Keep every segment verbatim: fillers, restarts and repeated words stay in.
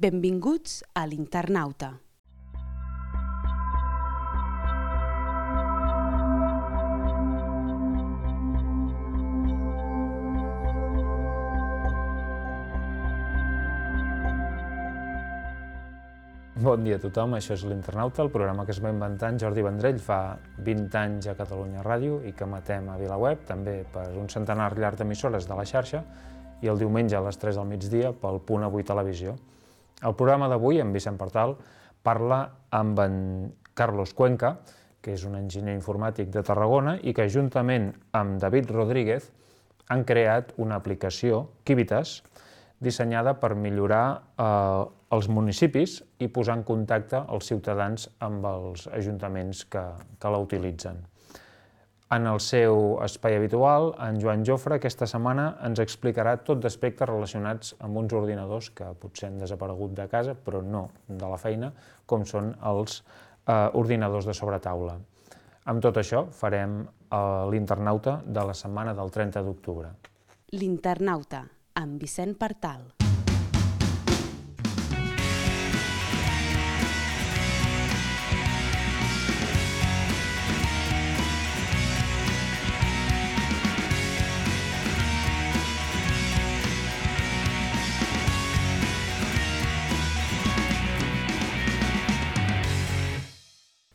Benvinguts a l'Internauta. Bon dia a tothom, això és l'Internauta, el programa que es va inventar en Jordi Vendrell fa vint anys a Catalunya Ràdio i que emetem a VilaWeb, també per un centenar llarg d'emissores de la xarxa, i el diumenge a les tres del migdia pel Punt Avui Televisió. El programa d'avui, en Vicent Partal, parla amb en Carlos Cuenca, que és un enginyer informàtic de Tarragona i que juntament amb David Rodríguez han creat una aplicació, Quibitas, dissenyada per millorar eh, els municipis i posar en contacte els ciutadans amb els ajuntaments que, que la utilitzen. En el seu espai habitual, en Joan Jofre aquesta setmana ens explicarà tot d'aspectes relacionats amb uns ordinadors que potser han desaparegut de casa, però no de la feina, com són els eh, ordinadors de sobretaula. Amb tot això farem eh, l'Internauta de la setmana del trenta d'octubre. L'Internauta, amb Vicent Partal.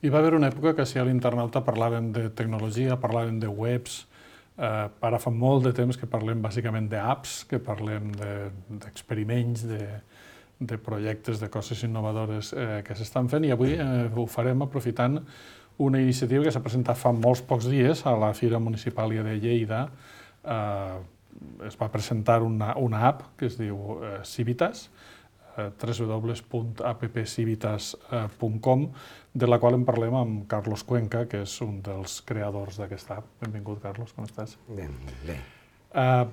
Hi va haver una època que si a l'Internauta parlàvem de tecnologia, parlàvem de webs, eh, ara fa molt de temps que parlem bàsicament d'apps, que parlem d'experiments, de, de, de projectes, de coses innovadores eh, que s'estan fent, i avui eh, ho farem aprofitant una iniciativa que s'ha presentat fa molts pocs dies a la Fira Municipal de Lleida. Eh, es va presentar una, una app que es diu eh, Civitas, w w w punt app civitas punt com, de la qual en parlem amb Carlos Cuenca, que és un dels creadors d'aquesta app. Benvingut, Carlos, com estàs? Bé, bé. Uh,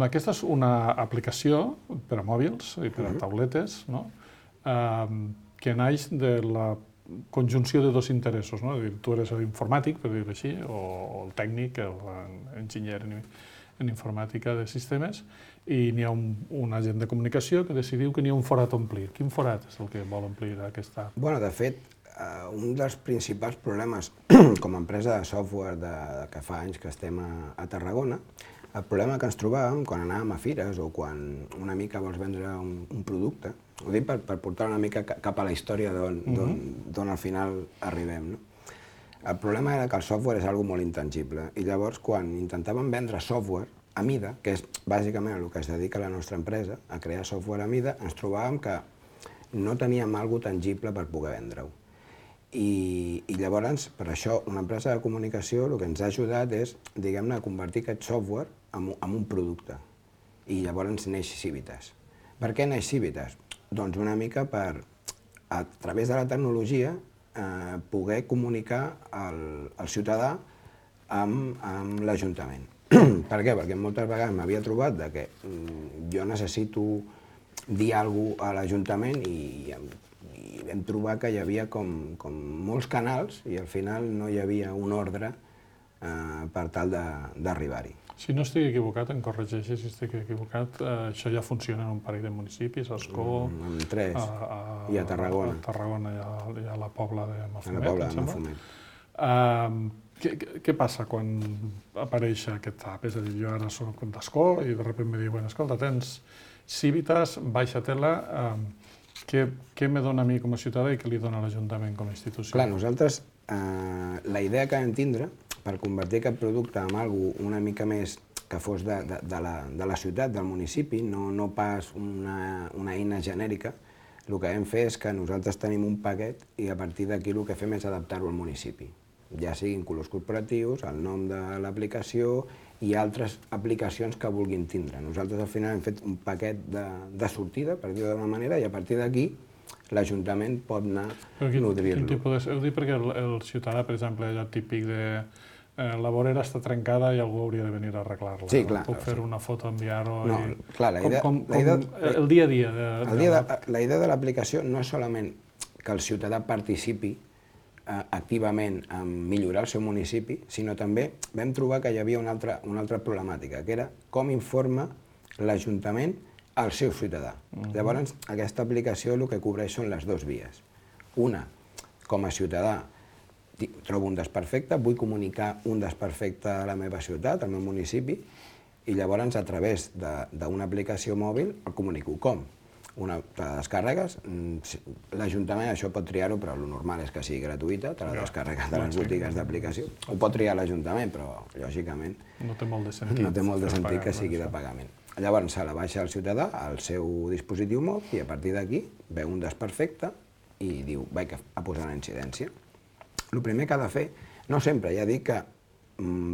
aquesta és una aplicació per a mòbils i per a Uh-huh. tauletes, no? uh, que naix de la conjunció de dos interessos. No? Tu eres l'informàtic, per dir-ho així, o el tècnic, l'enginyer en, en informàtica de sistemes, i n'hi ha un, un agent de comunicació que decidiu que n'hi ha un forat a omplir. Quin forat és el que vol omplir aquesta app? Bueno, de fet, uh, un dels principals problemes com a empresa de software de, de que fa anys que estem a, a Tarragona, el problema que ens trobàvem quan anàvem a fires o quan una mica vols vendre un, un producte, ho dic per, per portar una mica cap a la història d'on uh-huh. d'on al final arribem, no? El problema era que el software és algo molt intangible i llavors quan intentàvem vendre software a mida, que és bàsicament el que es dedica la nostra empresa, a crear software a mida, ens trobàvem que no teníem alguna cosa tangible per poder vendre-ho. I, I llavors, per això, una empresa de comunicació el que ens ha ajudat és, diguem-ne, convertir aquest software en, en un producte. I llavors neix Civitas. Per què neix Civitas? Doncs una mica per, a través de la tecnologia, eh, poder comunicar el, el ciutadà amb, amb l'Ajuntament. Per què? Perquè moltes vegades m'havia trobat de que mm, jo necessito dir alguna cosa a l'Ajuntament i, i vam trobar que hi havia com, com molts canals i al final no hi havia un ordre eh, per tal d'arribar-hi. Si no estic equivocat, em corregeixes si estic equivocat, eh, això ja funciona en un parell de municipis, a Ascó, Mm, en tres, a, a, i a Tarragona. a Tarragona i a, i a la Pobla de A Mafumet, la Pobla em de sembla. Mafumet. Uh, què, què passa quan apareix aquest app? És a dir, jo ara soc d'Ascó i de sobte em diuen, escolta, tens Civitas, baixa-te-la, uh, què, què me dona a mi com a ciutadà i què li dona a l'Ajuntament com a institució? Clar, nosaltres, eh, la idea que vam tindre per convertir aquest producte en algo una mica més que fos de, de, de, la, de la ciutat, del municipi, no, no pas una, una eina genèrica, el que vam fer és que nosaltres tenim un paquet i a partir d'aquí el que fem és adaptar-ho al municipi. Ja siguin colors corporatius, el nom de l'aplicació i altres aplicacions que vulguin tindre. Nosaltres al final hem fet un paquet de, de sortida, per dir-ho d'una manera, i a partir d'aquí l'Ajuntament pot anar nodrir-lo. Heu dit perquè el, el ciutadà, per exemple, allò típic de eh, la vorera està trencada i algú hauria de venir a arreglar-la. Sí, clar. Puc fer una foto, enviar-ho... No, i... clar, la idea... Com, com, la idea, com el dia a dia de, el dia de, la idea de l'aplicació no és solament que el ciutadà participi eh, activament en millorar el seu municipi, sinó també vam trobar que hi havia una altra, una altra problemàtica, que era com informa l'Ajuntament al seu ciutadà. Llavors, aquesta aplicació el que cobreix són les dues vies. Una, com a ciutadà, trobo un desperfecte, vull comunicar un desperfecte a la meva ciutat, al meu municipi, i llavors, a través d'una aplicació mòbil, el comunico. Com? Una, te la descàrregues, l'Ajuntament això pot triar-ho, però el normal és que sigui gratuïta, te la descàrregues de les botigues d'aplicació. Ho pot triar l'Ajuntament, però, lògicament, no té molt de sentit, no té molt de sentit que sigui de pagament. Llavors, se la baixa el ciutadà al seu dispositiu mòbil i a partir d'aquí veu un desperfecte i diu, vaig a posar una incidència. El primer que ha de fer, no sempre, ja dic que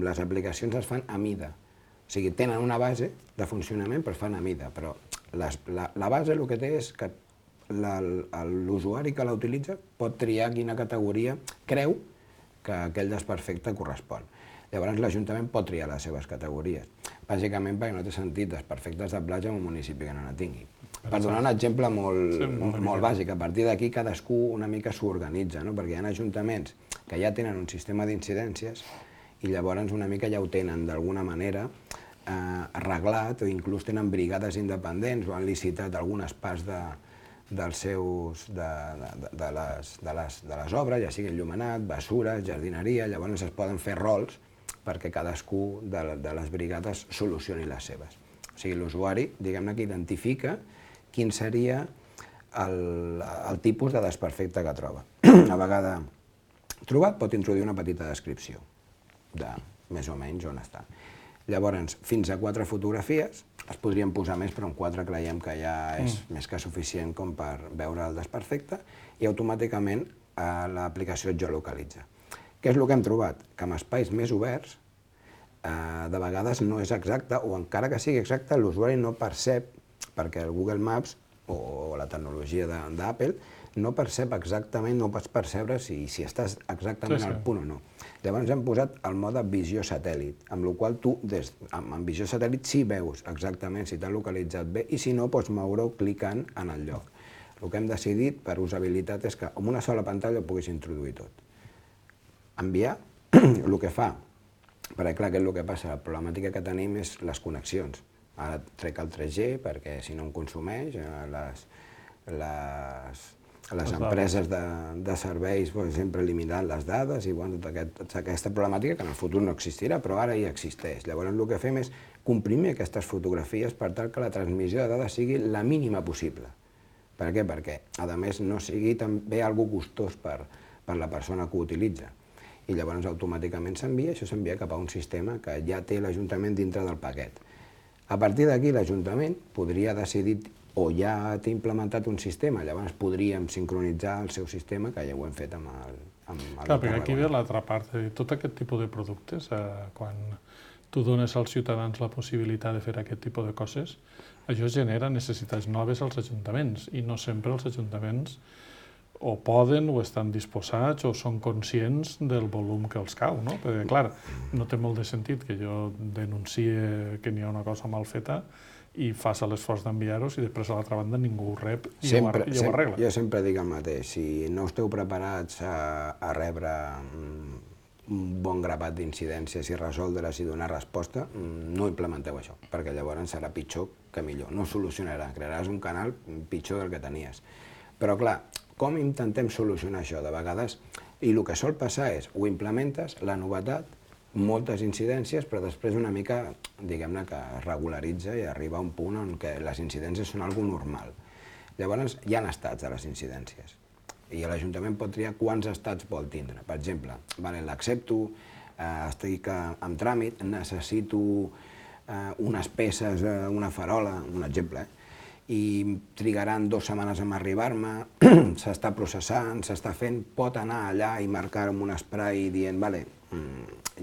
les aplicacions es fan a mida. O sigui, tenen una base de funcionament, però es fan a mida. Però la base el que té és que l'usuari que la utilitza pot triar quina categoria creu que aquell desperfecte correspon. Llavors, l'Ajuntament pot triar les seves categories, bàsicament perquè no té sentit desperfectes de platja en un municipi que no la tingui. Per donar un exemple molt bàsic, a partir d'aquí cadascú una mica s'organitza, perquè hi ha ajuntaments que ja tenen un sistema d'incidències i llavors una mica ja ho tenen d'alguna manera arreglat o inclús tenen brigades independents o han licitat algunes parts dels seus, de les obres, ja sigui enllumenat, bessures, jardineria, llavors es poden fer rols perquè cadascú de les brigades solucioni les seves. O sigui, l'usuari, diguem-ne, que identifica quin seria el tipus de desperfecte que troba. Una vegada trobat, pot introduir una petita descripció de més o menys on està. Llavors, fins a quatre fotografies, es podrien posar més, però en quatre creiem que ja és més que suficient com per veure el desperfecte i automàticament l'aplicació et geolocalitza. Què és el que hem trobat? Que amb espais més oberts, de vegades no és exacte, o encara que sigui exacte, l'usuari no percep, perquè el Google Maps o la tecnologia d'Apple no percep exactament, no pots percebre si estàs exactament al punt o no. Llavors hem posat el mode visió satèl·lit, amb la qual tu, amb visió satèl·lit, sí veus exactament si t'ha localitzat bé i si no, pots moure-ho clicant en el lloc. El que hem decidit per usabilitat és que amb una sola pantalla ho puguis introduir tot. Enviar, el que fa, perquè clar, què és el que passa? La problemàtica que tenim és les connexions. Ara trec el tres G perquè si no em consumeix, les empreses de serveis sempre eliminaran les dades i tota aquesta problemàtica que en el futur no existirà, però ara ja existeix. Llavors el que fem és comprimir aquestes fotografies per tal que la transmissió de dades sigui la mínima possible. Per què? Perquè, a més, no sigui també algo costós per la persona que ho utilitza. I llavors automàticament s'envia, això s'envia cap a un sistema que ja té l'Ajuntament dintre del paquet. A partir d'aquí l'Ajuntament podria decidir o ja té implementat un sistema, llavors podríem sincronitzar el seu sistema, que ja ho hem fet amb el... Clar, perquè aquí ve l'altra part, tot aquest tipus de productes, quan tu dones als ciutadans la possibilitat de fer aquest tipus de coses, això genera necessitats noves als ajuntaments i no sempre els ajuntaments o poden o estan disposats o són conscients del volum que els cau, no? Perquè, clar, no té molt de sentit que jo denuncie que n'hi ha una cosa mal feta i fas l'esforç d'enviar-los i després a l'altra banda ningú ho rep i ho arregla. Jo sempre dic el mateix, si no esteu preparats a rebre un bon grapat d'incidències i resoldre-les i donar resposta, no implementeu això, perquè llavors serà pitjor que millor, no solucionarà, crearàs un canal pitjor del que tenies. Però clar, com intentem solucionar això? De vegades, i el que sol passar és, ho implementes, la novetat, moltes incidències, però després una mica, diguem-ne, que es regularitza i arriba a un punt en què les incidències són algo normal. Llavors, hi ha estats de les incidències i l'Ajuntament pot triar quants estats vol tindre. Per exemple, l'accepto, estic en tràmit, necessito unes peces, una farola, un exemple, i trigaran dues setmanes en arribar-me, s'està processant, s'està fent, pot anar allà i marcar amb un spray dient, vale,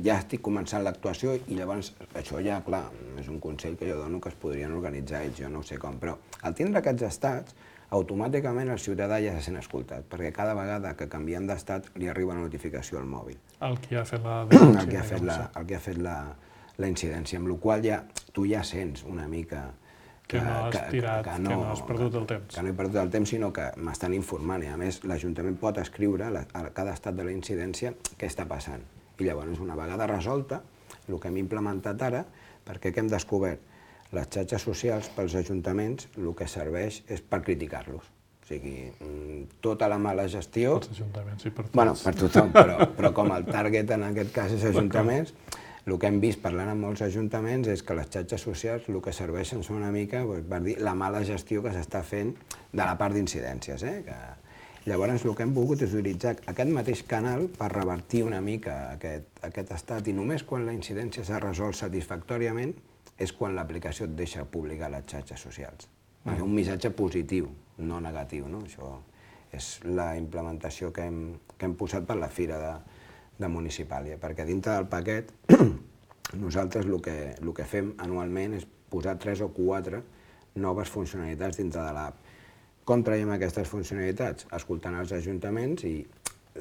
ja estic començant l'actuació i llavors això ja, clar, és un consell que jo dono que es podrien organitzar ells, jo no sé com, però al tindre aquests estats, automàticament el ciutadà ja se sent escoltat, perquè cada vegada que canviem d'estat li arriba una notificació al mòbil. El que ha fet la denúncia. El que ha fet la incidència, amb la qual tu ja sents una mica que no has tirat, que no has perdut el temps. Que no he perdut el temps, sinó que m'estan informant. I a més, l'Ajuntament pot escriure a cada estat de la incidència què està passant. I llavors, una vegada resolta, el que hem implementat ara, perquè què hem descobert? les xarxes socials pels ajuntaments el que serveix és per criticar-los. O sigui, tota la mala gestió... Pels ajuntaments i per tots. Bueno, per tothom, però, però com el target en aquest cas és ajuntaments, el que hem vist parlant amb molts ajuntaments és que les xarxes socials el que serveixen són una mica doncs, per dir la mala gestió que s'està fent de la part d'incidències. Eh? Que... Llavors el que hem volgut és utilitzar aquest mateix canal per revertir una mica aquest, aquest estat i només quan la incidència s'ha resolt satisfactòriament és quan l'aplicació et deixa publicar les xarxes socials. Mm. Un missatge positiu, no negatiu. No? Això és la implementació que hem, que hem posat per la Fira de, de Municipàlia, perquè dintre del paquet nosaltres el que, el que fem anualment és posar tres o quatre noves funcionalitats dintre de l'app. Com traiem aquestes funcionalitats? Escoltant els ajuntaments i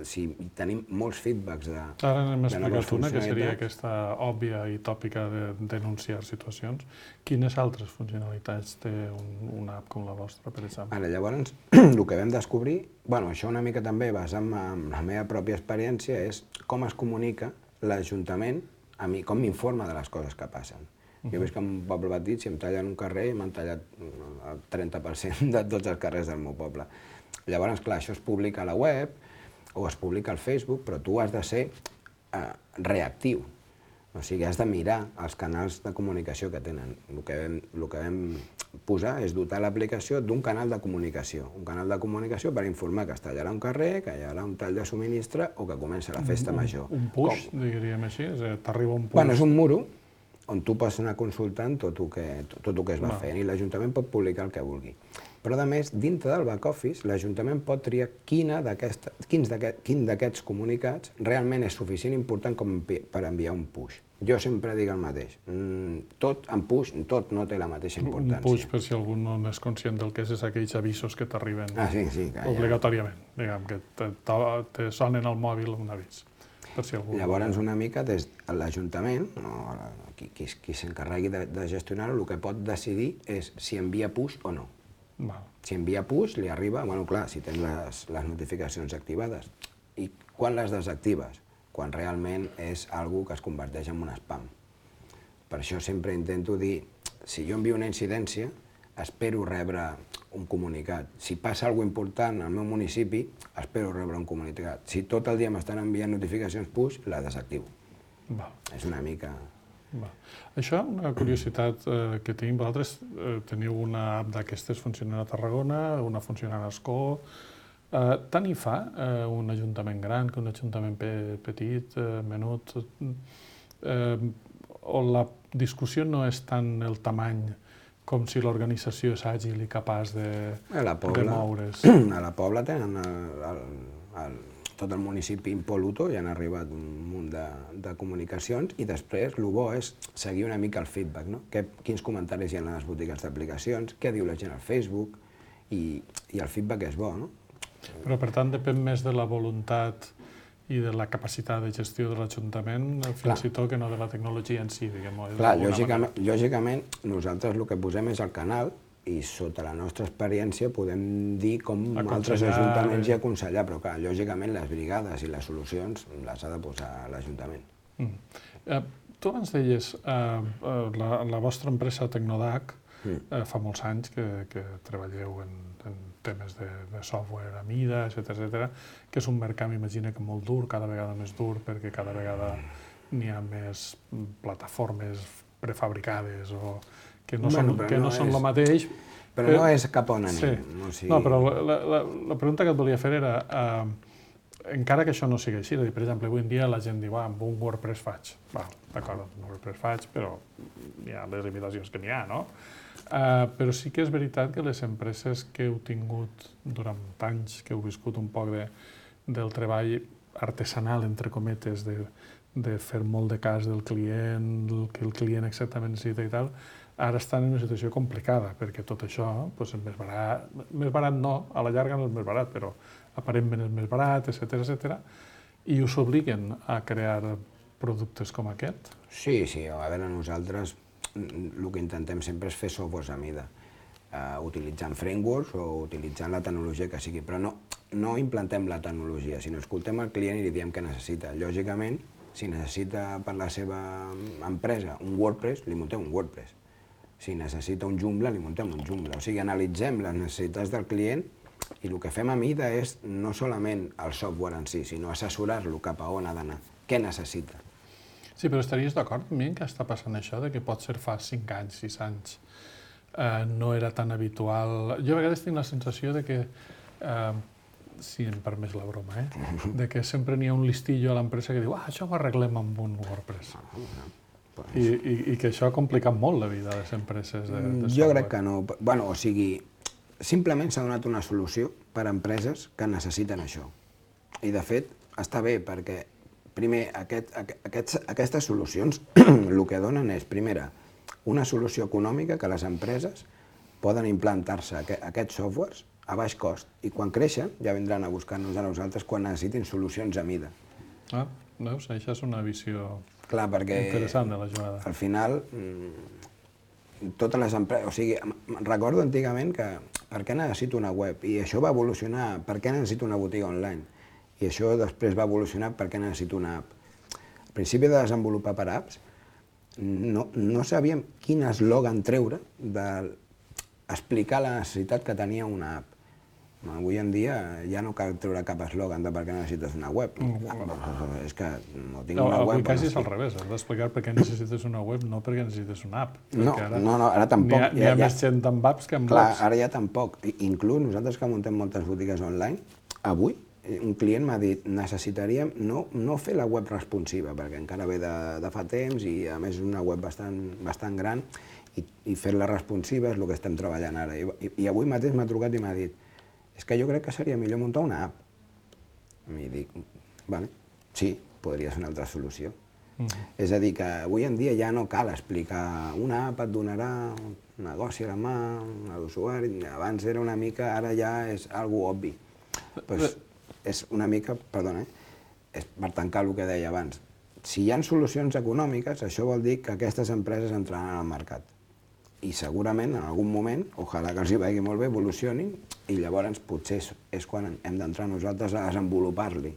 si tenim molts feedbacks de, Ara n'hem de noves explicat una, que seria funcionalitats. aquesta òbvia i tòpica de denunciar situacions. Quines altres funcionalitats té un, una app com la vostra, per exemple? Ara, llavors, el que vam descobrir, bueno, això una mica també basant-me en la meva pròpia experiència, és com es comunica l'Ajuntament a mi, com m'informa de les coses que passen. Jo veig que en un poble petit, si em tallen un carrer, m'han tallat el trenta per cent de tots els carrers del meu poble. Llavors, clar, això es publica a la web o es publica al Facebook, però tu has de ser eh, reactiu. O sigui, has de mirar els canals de comunicació que tenen. El que vam, el que vam posar és dotar l'aplicació d'un canal de comunicació. Un canal de comunicació per informar que es tallarà un carrer, que hi haurà un tall de subministre o que comença la festa major. Un push, Com? diríem així? T'arriba un push? Bueno, és un muro on tu pots anar consultant tot el que, tot el que es va fent i l'Ajuntament pot publicar el que vulgui. Però, a més, dintre del back-office, l'Ajuntament pot triar quina quin d'aquests comunicats realment és suficient important com per enviar un push. Jo sempre dic el mateix. Tot en push, tot no té la mateixa importància. Un push, per si algú no és conscient del que és, és aquells avisos que t'arriben ah, sí, sí, obligatòriament. Diguem, que te, te sonen al mòbil un avís. Per si algú... Llavors, una mica, des de l'Ajuntament, no, qui, qui, qui s'encarregui de, de gestionar-ho, el que pot decidir és si envia push o no. Val. Si envia push, li arriba, bueno, clar, si tens les, les notificacions activades. I quan les desactives? Quan realment és algo que es converteix en un spam. Per això sempre intento dir, si jo envio una incidència, espero rebre un comunicat. Si passa alguna cosa important al meu municipi, espero rebre un comunicat. Si tot el dia m'estan enviant notificacions push, la desactivo. Val. És una mica... Val. Això, una curiositat eh, que tinc, vosaltres eh, teniu una app d'aquestes funcionant a Tarragona, una funcionant a Ascó. Eh, tant hi fa eh, un ajuntament gran que un ajuntament pe petit, eh, menut, eh, on la discussió no és tant el tamany com si l'organització és àgil i capaç de, de moure's. A la Pobla tenen el, el, el, tot el municipi impoluto i han arribat un munt de, de comunicacions i després el bo és seguir una mica el feedback, no? Que, quins comentaris hi ha a les botigues d'aplicacions, què diu la gent al Facebook i, i el feedback és bo, no? Però per tant depèn més de la voluntat i de la capacitat de gestió de l'Ajuntament, fins i tot que no de la tecnologia en si, diguem-ho. Clar, lògicament, lògicament, nosaltres el que posem és el canal i sota la nostra experiència podem dir com altres ajuntaments i aconsellar, però clar, lògicament les brigades i les solucions les ha de posar l'Ajuntament. Mm. Eh, tu abans deies, eh, la, la vostra empresa Tecnodac, mm. eh, fa molts anys que, que treballeu en, en temes de, de software a mida, etcètera, etcètera, que és un mercat, m'imagino, que molt dur, cada vegada més dur, perquè cada vegada n'hi ha més plataformes prefabricades o que no bueno, són, que no no són és, el mateix. Però, però no és cap on anem. Sí. No, o sigui... no, però la, la, la pregunta que et volia fer era, eh, encara que això no sigui així, per exemple, avui en dia la gent diu, ah, amb un WordPress faig. D'acord, amb un WordPress faig, però hi ha les limitacions que n'hi ha, no? Uh, però sí que és veritat que les empreses que heu tingut durant anys, que heu viscut un poc de, del treball artesanal, entre cometes, de, de fer molt de cas del client, el que el client exactament necessita i tal, ara estan en una situació complicada, perquè tot això doncs, és més barat, més barat no, a la llarga no és més barat, però aparentment és més barat, etcètera, etcètera, i us obliguen a crear productes com aquest? Sí, sí, a veure, nosaltres el que intentem sempre és fer softwares a mida, uh, utilitzant frameworks o utilitzant la tecnologia que sigui, però no, no implantem la tecnologia, sinó escoltem al client i li diem què necessita. Lògicament, si necessita per la seva empresa un WordPress, li muntem un WordPress. Si necessita un Joomla, li muntem un Joomla. O sigui, analitzem les necessitats del client i el que fem a mida és no solament el software en si, sinó assessorar-lo cap a on ha d'anar, què necessita. Sí, però estaries d'acord amb mi que està passant això, de que pot ser fa cinc anys, sis anys, eh, no era tan habitual... Jo a vegades tinc la sensació de que, eh, si em permets la broma, eh, de que sempre n'hi ha un listillo a l'empresa que diu ah, això ho arreglem amb un WordPress. I, i, I que això ha complicat molt la vida de les empreses de, de software. Jo crec que no. Bueno, o sigui, simplement s'ha donat una solució per a empreses que necessiten això. I, de fet, està bé, perquè primer, aquest, aquests, aquestes solucions el que donen és, primera, una solució econòmica que les empreses poden implantar-se aquest, aquests softwares a baix cost i quan creixen ja vindran a buscar-nos a nosaltres quan necessitin solucions a mida. Ah, veus? Això és una visió Clar, perquè interessant de la jugada. Al final, totes les empreses... O sigui, recordo antigament que per què necessito una web? I això va evolucionar, per què necessito una botiga online? I això després va evolucionar per què necessito una app. Al principi de desenvolupar per apps, no, no sabíem quin eslògan treure d'explicar la necessitat que tenia una app. Avui en dia ja no cal treure cap eslògan de per què necessites una web. Mm. És que no tinc no, una web... Avui quasi és al revés, has d'explicar per què necessites una web, no perquè necessites una app. No, ara no, no, ara tampoc. N'hi ha, ja, ha ja, més gent amb apps que amb clar, blogs. Ara ja tampoc. Inclús nosaltres que muntem moltes botigues online, avui un client m'ha dit necessitaríem no, no fer la web responsiva, perquè encara ve de, de fa temps i a més és una web bastant, bastant gran i, i fer-la responsiva és el que estem treballant ara. I, i, i avui mateix m'ha trucat i m'ha dit és que jo crec que seria millor muntar una app. I dic, vale, sí, podria ser una altra solució. Mm-hmm. És a dir, que avui en dia ja no cal explicar una app et donarà un negoci a la mà, a l'usuari, abans era una mica, ara ja és algo obvi. Pues, és una mica, perdona, és per tancar el que deia abans. Si hi ha solucions econòmiques, això vol dir que aquestes empreses entraran al mercat. I segurament, en algun moment, ojalà que els hi vagi molt bé, evolucionin, i llavors potser és quan hem d'entrar nosaltres a desenvolupar-li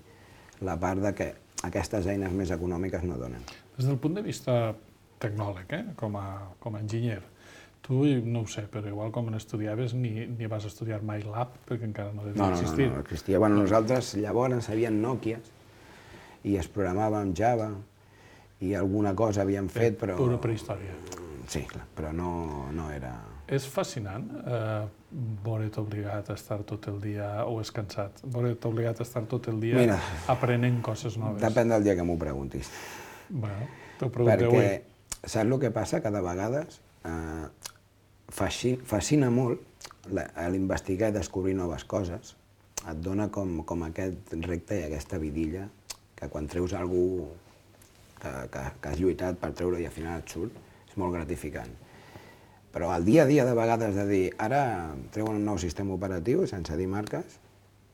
la part de que aquestes eines més econòmiques no donen. Des del punt de vista tecnòleg, eh? com, a, com a enginyer, tu, no ho sé, però igual com estudiaves ni, ni vas estudiar mai l'app, perquè encara no devia no, no, existir. No, no, no existia. Bueno, nosaltres llavors sabíem Nokias i es programava amb Java i alguna cosa havíem fet, però... Pura prehistòria. Sí, clar, però no, no era... És fascinant eh, veure't obligat a estar tot el dia, o és cansat, veure't obligat a estar tot el dia Mira, aprenent coses noves. Depèn del dia que m'ho preguntis. Bueno, t'ho pregunto avui. Perquè saps el que passa? Que de vegades eh, fascina molt l'investigar i descobrir noves coses. Et dona com, com aquest repte i aquesta vidilla que quan treus algú que, que, que has lluitat per treure i al final et surt, és molt gratificant. Però el dia a dia de vegades de dir ara treuen un nou sistema operatiu sense dir marques,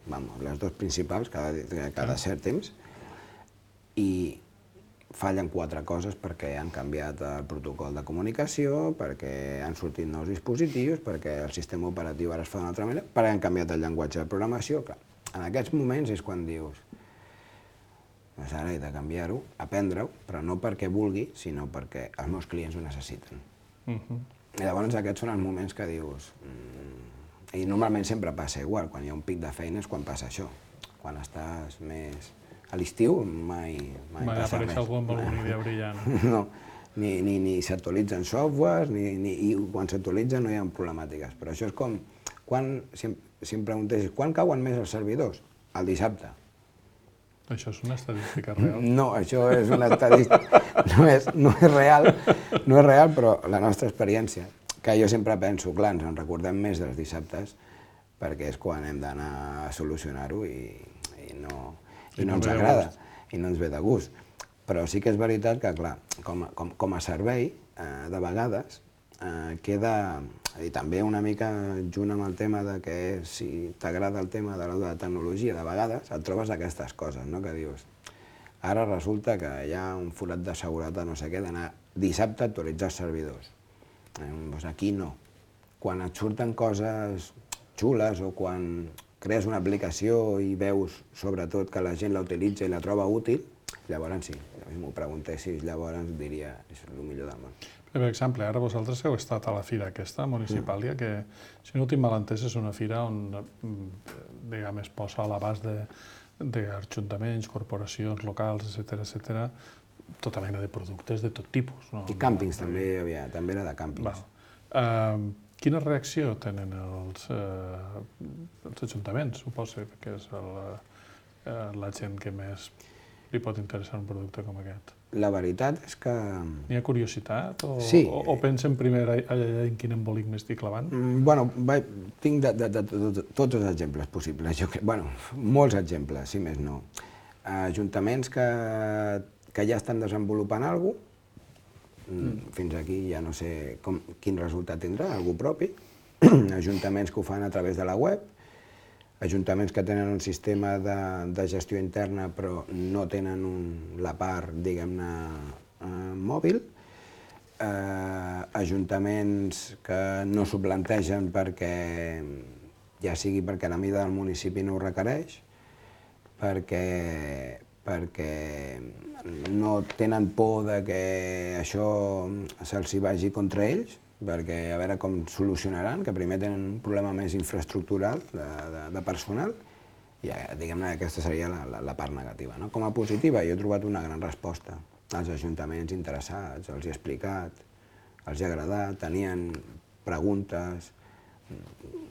vamos, les dues principals cada, cada cert temps, i fallen quatre coses perquè han canviat el protocol de comunicació, perquè han sortit nous dispositius, perquè el sistema operatiu ara es fa d'una altra manera, perquè han canviat el llenguatge de programació. Clar, en aquests moments és quan dius doncs ara he de canviar-ho, aprendre-ho, però no perquè vulgui, sinó perquè els meus clients ho necessiten. Uh-huh. I llavors aquests són els moments que dius... Mm, i normalment sempre passa igual, quan hi ha un pic de feina és quan passa això. Quan estàs més... A l'estiu mai, mai, mai passa res. Mai apareix algú amb alguna idea brillant. No, ni, ni, ni s'actualitzen softwares, ni, ni, i quan s'actualitzen no hi ha problemàtiques. Però això és com... Quan, si, em, si em preguntessis, quan cauen més els servidors? El dissabte. Això és una estadística real? No, això és una estadística... No és, no és real, no és real, però la nostra experiència, que jo sempre penso, clar, ens en recordem més dels dissabtes, perquè és quan hem d'anar a solucionar-ho i, i, no, i, I no ens agrada, i no ens ve de gust. Però sí que és veritat que, clar, com, com, com a servei, eh, de vegades, eh, queda... I també una mica junt amb el tema de que si t'agrada el tema de la tecnologia, de vegades et trobes aquestes coses, no? Que dius, ara resulta que hi ha un forat de seguretat, no sé què, d'anar dissabte a actualitzar els servidors. Eh, doncs aquí no. Quan et surten coses xules o quan crees una aplicació i veus sobretot que la gent la utilitza i la troba útil, llavors sí, si m'ho preguntessis, llavors diria és el millor del món. Per exemple, ara vosaltres heu estat a la fira aquesta municipàlia, que, si no ho tinc mal entès, és una fira on, diguem, es posa a l'abast d'ajuntaments, corporacions locals, etcètera, etcètera, tota mena de productes de tot tipus. No? I càmpings també hi havia, també era de càmpings. Uh, quina reacció tenen els, uh, els ajuntaments, suposo, que és el, uh, la gent que més li pot interessar un producte com aquest? La veritat és que... N'hi ha curiositat? O, sí. o, o pensen primer allà en quin embolic m'estic clavant? Mm, bueno, va, tinc de, de, de, de, de tots els exemples possibles. Jo, bueno, molts exemples, si més no. Ajuntaments que, que ja estan desenvolupant alguna cosa, mm. fins aquí ja no sé com, quin resultat tindrà, algú propi. Ajuntaments que ho fan a través de la web, ajuntaments que tenen un sistema de, de gestió interna però no tenen un, la part, diguem-ne, eh, mòbil, eh, ajuntaments que no s'ho plantegen perquè, ja sigui perquè la mida del municipi no ho requereix, perquè, perquè no tenen por de que això se'ls vagi contra ells, perquè a veure com solucionaran, que primer tenen un problema més infraestructural de, de, de personal, i diguem-ne que aquesta seria la, la, la part negativa. No? Com a positiva, jo he trobat una gran resposta als ajuntaments interessats, els he explicat, els ha agradat, tenien preguntes,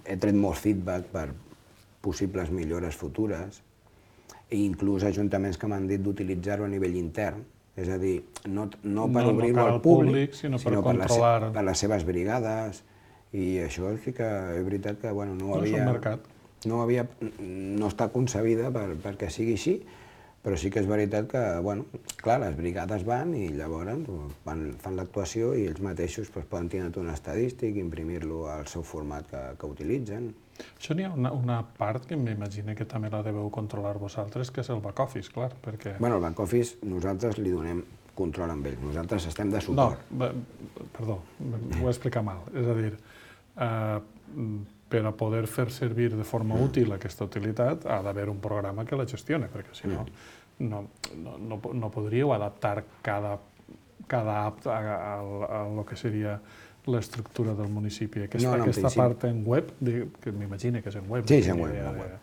he tret molt feedback per possibles millores futures, i inclús ajuntaments que m'han dit d'utilitzar-ho a nivell intern, és a dir, no, no per no, obrir-ho no al públic, públic, sinó, sinó per, per, controlar... les, per les seves brigades, i això sí que és veritat que bueno, no, no havia, no, havia, no està concebida per, perquè sigui així, però sí que és veritat que, bueno, clar, les brigades van i llavors van, fan l'actuació i ells mateixos pues, poden tenir un estadístic, imprimir-lo al seu format que, que utilitzen. Això n'hi ha una, una part que m'imagino que també la deveu controlar vosaltres, que és el back-office, clar, perquè... Bueno, el back-office nosaltres li donem control amb ell, nosaltres estem de suport. No, perdó, ho he explicat mal. És a dir, eh, per a poder fer servir de forma útil aquesta utilitat ha d'haver un programa que la gestione, perquè si no, no, no, no, no podríeu adaptar cada, cada app a, a, a, a lo que seria l'estructura del municipi. Aquesta, no, no, aquesta part en web, que m'imagino que és en web. Sí, és en web. En web.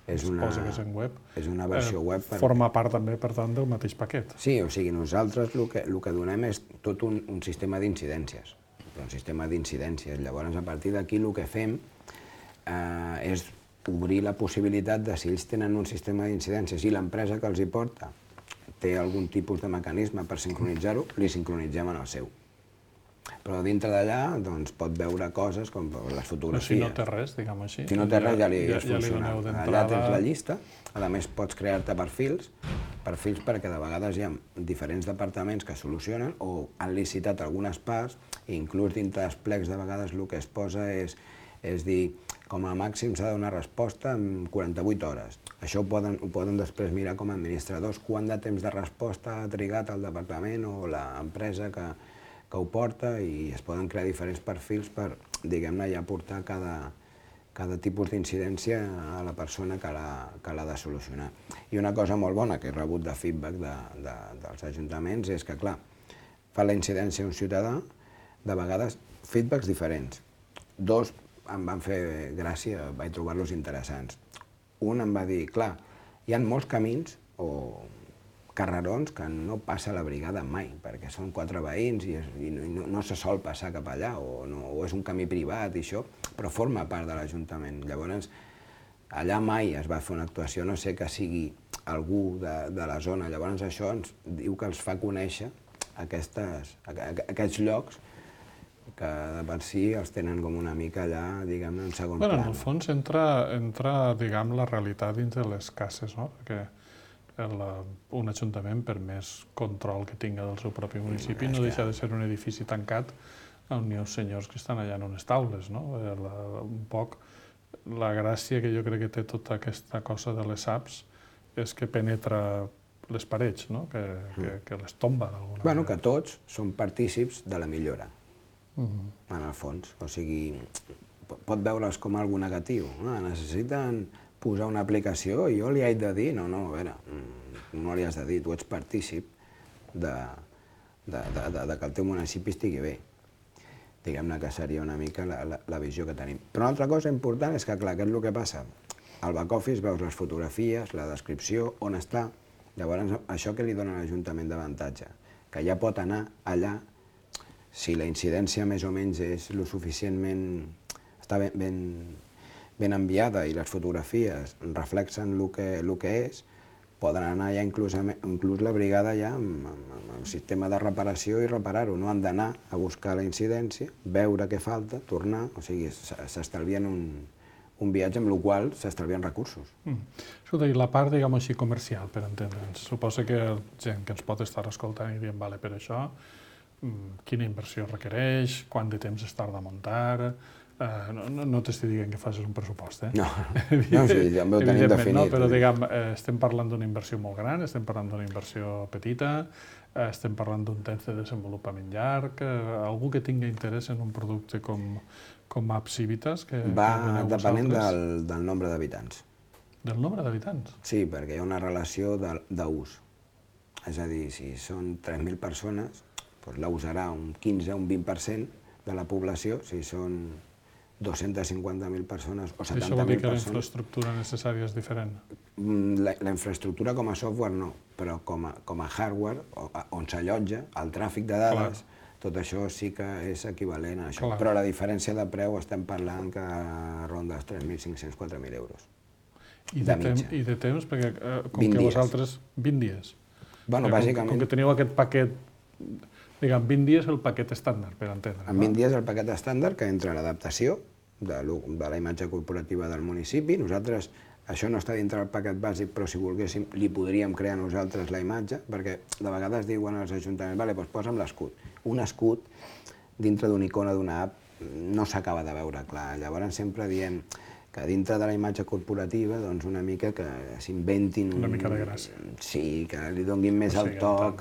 És una, que és en web. És una versió eh, web. Per... Forma part també, per tant, del mateix paquet. Sí, o sigui, nosaltres el que, el que donem és tot un, un sistema d'incidències. Un sistema d'incidències. Llavors, a partir d'aquí, el que fem eh, és obrir la possibilitat de si ells tenen un sistema d'incidències i l'empresa que els hi porta té algun tipus de mecanisme per sincronitzar-ho, li sincronitzem en el seu. Però dintre d'allà doncs, pot veure coses com les fotografies. Però si no té res, diguem així. Si no té res, ja li ja, és funcional. Ja allà tens la llista, a més pots crear-te perfils, perfils perquè de vegades hi ha diferents departaments que solucionen o han licitat algunes parts i inclús dintre dels plecs de vegades el que es posa és, és dir, com a màxim s'ha de donar resposta en quaranta-vuit hores. Això ho poden, ho poden després mirar com a administradors, quant de temps de resposta ha trigat el departament o l'empresa que que ho porta i es poden crear diferents perfils per, diguem-ne, ja portar cada, cada tipus d'incidència a la persona que l'ha de solucionar. I una cosa molt bona que he rebut de feedback de, de, dels ajuntaments és que, clar, fa la incidència un ciutadà, de vegades feedbacks diferents. Dos em van fer gràcia, vaig trobar-los interessants. Un em va dir, clar, hi ha molts camins o carrerons que no passa la brigada mai, perquè són quatre veïns i, es, i no, no se sol passar cap allà, o, no, o és un camí privat i això, però forma part de l'Ajuntament. Llavors, allà mai es va fer una actuació, no sé que sigui algú de, de la zona. Llavors això ens diu que els fa conèixer aquestes, aquests llocs que de per si els tenen com una mica allà, diguem-ne, en segon bueno, pla. En el fons entra, entra diguem, la realitat dins de les cases, no? Perquè el, un ajuntament, per més control que tinga del seu propi municipi, no deixa de ser un edifici tancat on hi ha uns senyors que estan allà en unes taules, no? La, un poc la gràcia que jo crec que té tota aquesta cosa de les apps és que penetra les parets, no? Que, que, que les tomba d'alguna bueno, manera. Que tots són partícips de la millora, uh-huh. en el fons. O sigui, pot veure's com algo negatiu. No? Necessiten posar una aplicació i jo li haig de dir, no, no, a veure, no li has de dir, tu ets partícip de, de, de, de, de que el teu municipi estigui bé. Diguem-ne que seria una mica la, la, la visió que tenim. Però una altra cosa important és que, clar, què és el que passa? Al back-office veus les fotografies, la descripció, on està. Llavors, això que li dona a l'Ajuntament d'avantatge? Que ja pot anar allà, si la incidència més o menys és lo suficientment... està ben, ben, ben enviada i les fotografies reflexen el que, el que és, poden anar ja inclús, inclús la brigada ja amb, amb, amb el sistema de reparació i reparar-ho. No han d'anar a buscar la incidència, veure què falta, tornar, o sigui, s'estalvien un, un viatge amb el qual s'estalvien recursos. Mm. Escolta, i la part, diguem així, comercial, per entendre'ns. Suposo que gent que ens pot estar escoltant i dient, vale, per això, quina inversió requereix, quant de temps es tarda a muntar... Uh, no no, no t'estic dient que facis un pressupost, eh? No, no sí, ja ho tenim definit. No, però diguem, eh, estem parlant d'una inversió molt gran, estem parlant d'una inversió petita, eh, estem parlant d'un temps de desenvolupament llarg, eh, algú que tingui interès en un producte com, com App Civitas, que, va que depenent del, del nombre d'habitants. Del nombre d'habitants? Sí, perquè hi ha una relació d'ús. És a dir, si són tres mil persones, doncs la usarà un quinze o un vint per cent de la població, si són dos-centes cinquanta mil persones o setanta mil persones... Això vol dir que la infraestructura necessària és diferent? La, la infraestructura com a software no, però com a, com a hardware, on s'allotja, el tràfic de dades, clar, tot això sí que és equivalent a això. Clar. Però la diferència de preu estem parlant que ronda els tres mil cinc-cents a quatre mil euros. I de, de, I de temps? Perquè eh, com que vosaltres... vint dies? Bueno, com, bàsicament... Com que teniu aquest paquet... Diguem, vint dies el paquet estàndard, per entendre. En vint dies el paquet estàndard, que entra l'adaptació de, de la imatge corporativa del municipi. Nosaltres, això no està dintre del paquet bàsic, però si volguéssim, li podríem crear nosaltres la imatge, perquè de vegades diuen als ajuntaments, vale, doncs posa'm l'escut. Un escut dintre d'una icona d'una app no s'acaba de veure clar. Llavors sempre diem que dintre de la imatge corporativa, doncs una mica que s'inventin... Una mica de gràcia. Sí, que li donguin més el toc,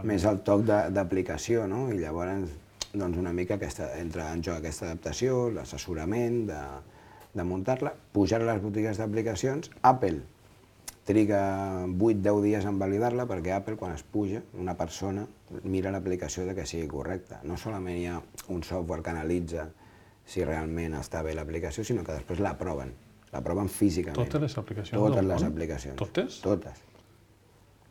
més el toc d'aplicació, no? I llavors, doncs una mica aquesta, entra en joc aquesta adaptació, l'assessorament de, de muntar-la, pujar a les botigues d'aplicacions. Apple triga vuit a deu dies en validar-la, perquè Apple, quan es puja, una persona mira l'aplicació de que sigui correcta. No solament hi ha un software que analitza si realment està bé l'aplicació, sinó que després l'aproven, l'aproven físicament. Totes les aplicacions Totes del les món? aplicacions. Totes? Totes.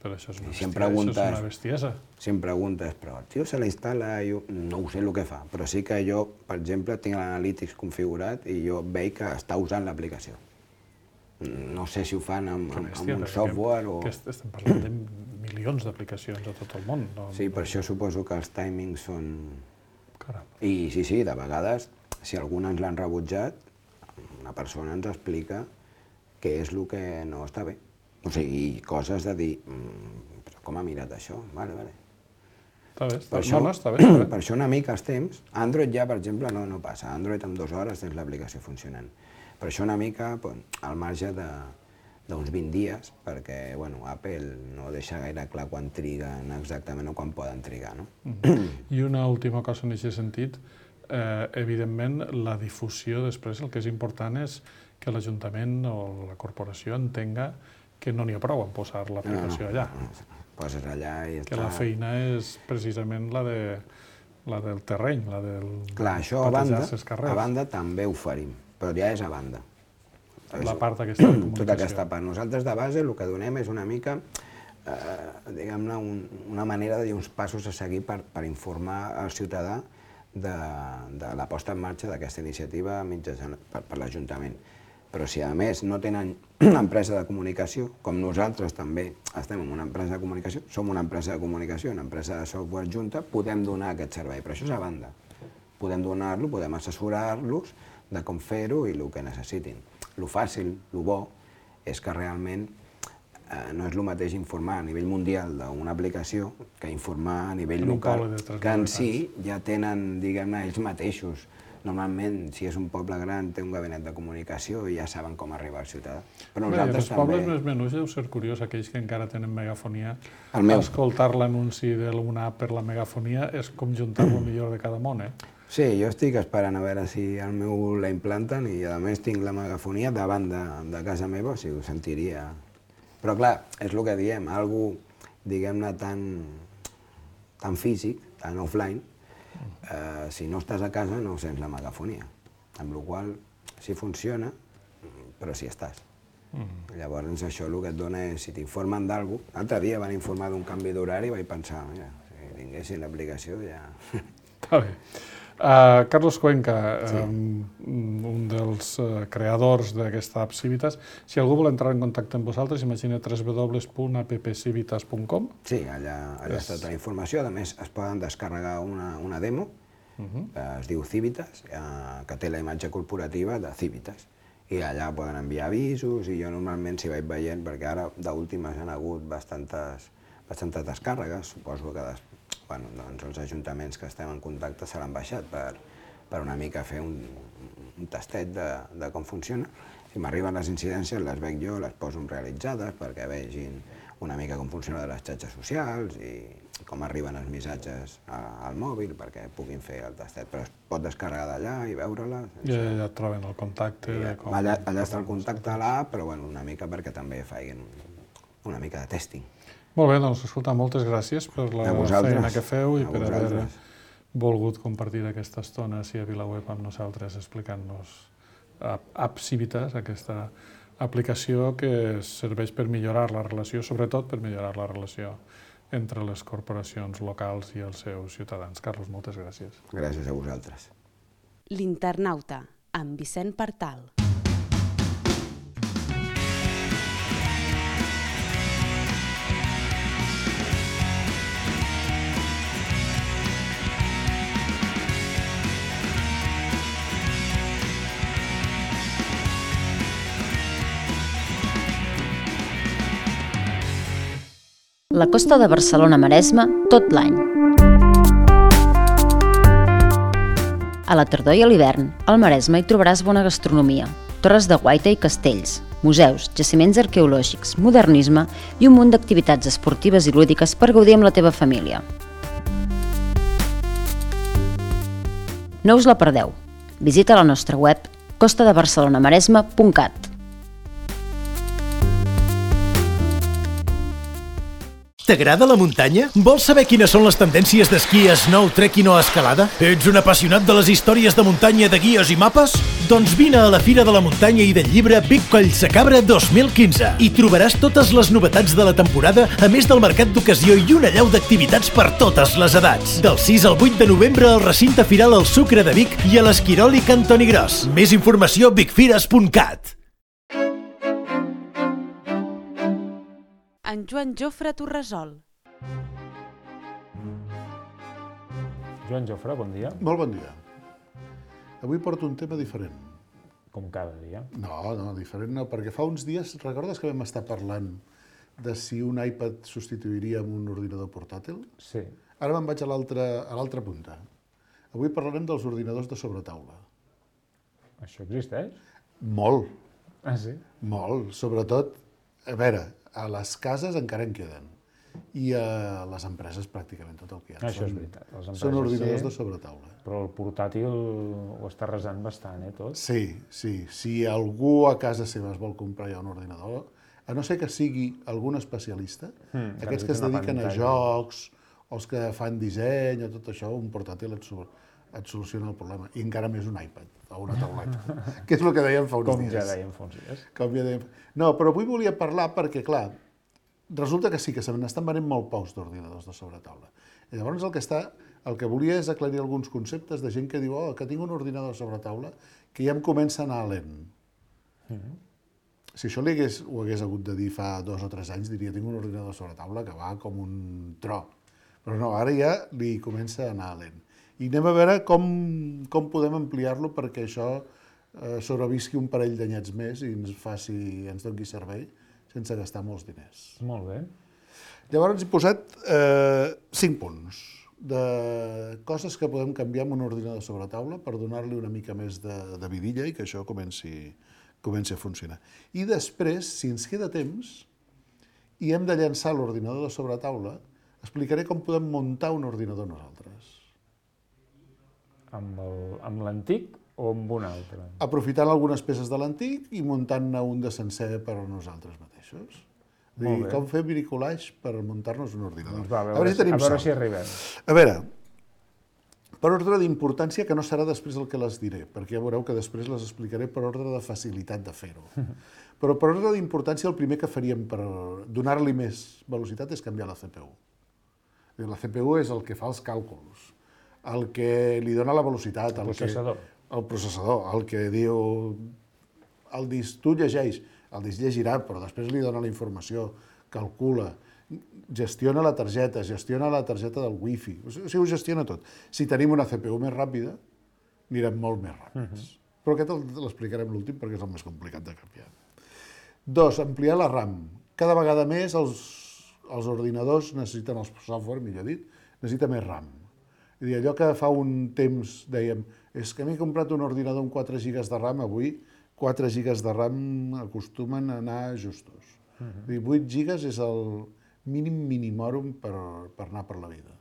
Però això és una, si bestia, això és una bestiesa. Si em preguntes, però el tio se la instal·la, jo no ho sé el que fa, però sí que jo, per exemple, tinc l'Analytics configurat i jo veig que està usant l'aplicació. No sé si ho fan amb, amb, amb un software o... Que estem parlant de milions d'aplicacions a tot el món. No? Sí, per això suposo que els timings són... Caram. I sí, sí, de vegades, si alguna ens l'han rebutjat, una persona ens explica què és el que no està bé. O sigui, coses de dir, mmm, però com ha mirat això? Vale, vale. Està bé, està, per això, no, no, està bé, està bé. Per això una mica els temps. Android ja, per exemple, no, no passa. Android en dues hores tens l'aplicació funcionant. Per això una mica al marge d'uns vint dies, perquè bueno, Apple no deixa gaire clar quan triguen exactament o quan poden trigar. No? Mm. I una última cosa en aquest sentit, eh, evidentment la difusió després, el que és important és que l'Ajuntament o la corporació entenga que no n'hi ha prou en posar l'aplicació allà. No, no, poses allà i està... Que la feina és precisament la, de, la del terreny, la del Clar, això a banda, a banda també ho farim, però ja és a banda. La part aquesta de comunicació. Tota aquesta part. Nosaltres de base el que donem és una mica, eh, diguem-ne, un, una manera de dir uns passos a seguir per, per informar al ciutadà de, de la posta en marxa d'aquesta iniciativa mitjançant per, per l'Ajuntament. Però si a més no tenen una empresa de comunicació, com nosaltres també estem en una empresa de comunicació, som una empresa de comunicació, una empresa de software junta, podem donar aquest servei, però això és a banda. Podem donar-lo, podem assessorar-los de com fer-ho i el que necessitin. Lo fàcil, lo bo, és que realment eh, no és el mateix informar a nivell mundial d'una aplicació que informar a nivell local, que en si ja tenen, diguem-ne, ells mateixos. Normalment, si és un poble gran, té un gabinet de comunicació i ja saben com arribar al ciutadà. Però nosaltres també... Els pobles més menuts deu ser curiós, aquells que encara tenen megafonia, meu... escoltar l'anunci d'una app per la megafonia és com juntar el millor de cada món, eh? Sí, jo estic esperant a veure si el meu la implanten i a més tinc la megafonia davant de, de casa meva, o sigui, ho sentiria. Però clar, és el que diem, algú, diguem-ne, tan, tan físic, tan offline, eh, si no estàs a casa no sents la megafonia. Amb la qual cosa sí funciona, però sí estàs. Mm. Llavors això el que et dona és, si t'informen d'algú, l'altre dia van informar d'un canvi d'horari i vaig pensar, mira, si tinguessin l'aplicació ja... Està bé. Uh, Carlos Cuenca, sí. um, un dels uh, creadors d'aquesta app Civitas, si algú vol entrar en contacte amb vosaltres, imagina w w w punt app civitas punt com. Sí, allà, allà és... està tota la informació. A més, es poden descarregar una, una demo, uh -huh. que es diu Civitas, uh, que té la imatge corporativa de Civitas. I allà poden enviar avisos, i jo normalment s'hi vaig veient, perquè ara d'últimes han hagut bastantes, bastantes descàrregues, suposo que des, bueno, doncs els ajuntaments que estem en contacte se l'han baixat per, per una mica fer un, un tastet de, de com funciona. Si m'arriben les incidències, les veig jo, les poso realitzades perquè vegin una mica com funciona les xarxes socials i com arriben els missatges a, al mòbil perquè puguin fer el tastet, però es pot descarregar d'allà i veure-la. Ja, ja et troben el contacte. Ja, com, allà, allà està el contacte a l'app, però bueno, una mica perquè també facin una mica de testing. Molt bé, doncs escolta, moltes gràcies per la feina que feu i per haver volgut compartir aquesta estona així a VilaWeb amb nosaltres explicant-nos App Civitas, aquesta aplicació que serveix per millorar la relació, sobretot per millorar la relació entre les corporacions locals i els seus ciutadans. Carlos, moltes gràcies. Gràcies a vosaltres. L'Internauta, amb Vicent Partal. La costa de Barcelona-Maresme tot l'any. A la tardor i a l'hivern, al Maresme hi trobaràs bona gastronomia, torres de guaita i castells, museus, jaciments arqueològics, modernisme i un munt d'activitats esportives i lúdiques per gaudir amb la teva família. No us la perdeu. Visita la nostra web costa de barcelona maresme punt cat. T'agrada la muntanya? Vols saber quines són les tendències d'esquí, snow, trekking o escalada? Ets un apassionat de les històries de muntanya de guies i mapes? Doncs vine a la Fira de la Muntanya i del Llibre Vic Collsacabra dos mil quinze. Hi trobaràs totes les novetats de la temporada, a més del mercat d'ocasió i una allau d'activitats per totes les edats. Del sis al vuit de novembre al recinte firal El Sucre de Vic i a l'Esquirol i Cantoni Gros. Més informació a vicfires punt cat. En Joan Jofre Torresol. Joan Jofre, bon dia. Molt bon dia. Avui porto un tema diferent. Com cada dia. No, no, diferent no, perquè fa uns dies, recordes que vam estar parlant de si un iPad substituiria amb un ordinador portàtil? Sí. Ara me'n vaig a l'altra punta. Avui parlarem dels ordinadors de sobretaula. Això existeix? Molt. Ah, sí? Molt, sobretot, a veure, a les cases encara en queden i a les empreses pràcticament tot el que hi ha. Això és veritat. Les empreses són ordinadors sí, de sobretaula. Però el portàtil ho està resant bastant, eh, tot? Sí, sí. Si algú a casa seva es vol comprar ja un ordinador, a no ser que sigui algun especialista, mm, aquests que es dediquen a jocs, o els que fan disseny o tot això, un portàtil et, et soluciona el problema. I encara més un iPad o una tauleta, que és el que dèiem fa uns Com dies. ja dèiem fa uns dies. Com ja dèiem... No, però avui volia parlar perquè, clar, resulta que sí, que se n'estan venent molt pocs d'ordinadors de sobretaula. I llavors el que, està, el que volia és aclarir alguns conceptes de gent que diu oh, que tinc un ordinador de sobretaula que ja em comença a anar lent. Mm-hmm. Si això li hagués, ho hagués hagut de dir fa dos o tres anys, diria tinc un ordinador de sobretaula que va com un tro. Però no, ara ja li comença a anar lent. I anem a veure com, com podem ampliar-lo perquè això eh, sobrevisqui un parell d'anyets més i ens faci, ens doni servei sense gastar molts diners. Molt bé. Llavors he posat eh, cinc punts de coses que podem canviar amb un ordinador de sobretaula per donar-li una mica més de, de vidilla i que això comenci, comenci a funcionar. I després, si ens queda temps i hem de llançar l'ordinador de sobretaula, explicaré com podem muntar un ordinador nosaltres. Amb l'antic o amb un altre? Aprofitant algunes peces de l'antic i muntant-ne un de sencer per a nosaltres mateixos. Dir, com fer bricolage per muntar-nos un ordinador. Doncs va, a veure, a veure si tenim a veure sort. si arribem. A veure, per ordre d'importància, que no serà després el que les diré, perquè ja veureu que després les explicaré per ordre de facilitat de fer-ho. Però per ordre d'importància, el primer que faríem per donar-li més velocitat és canviar la C P U. La C P U és el que fa els càlculs, el que li dona la velocitat, El processador. Que, el processador, el que diu... El disc, tu llegeix, el disc llegirà, però després li dona la informació, calcula, gestiona la targeta, gestiona la targeta del wifi, o sigui, ho gestiona tot. Si tenim una C P U més ràpida, anirem molt més ràpids. Uh-huh. Però aquest l'explicarem l'últim perquè és el més complicat de canviar. Dos, ampliar la RAM. Cada vegada més els, els ordinadors necessiten, els software, millor dit, necessita més RAM. És a dir, allò que fa un temps dèiem, és que m'he comprat un ordinador amb quatre gigas de RAM, avui quatre gigas de RAM acostumen a anar justos. Uh -huh. És a dir, vuit gigas és el mínim minimòrum per, per anar per la vida.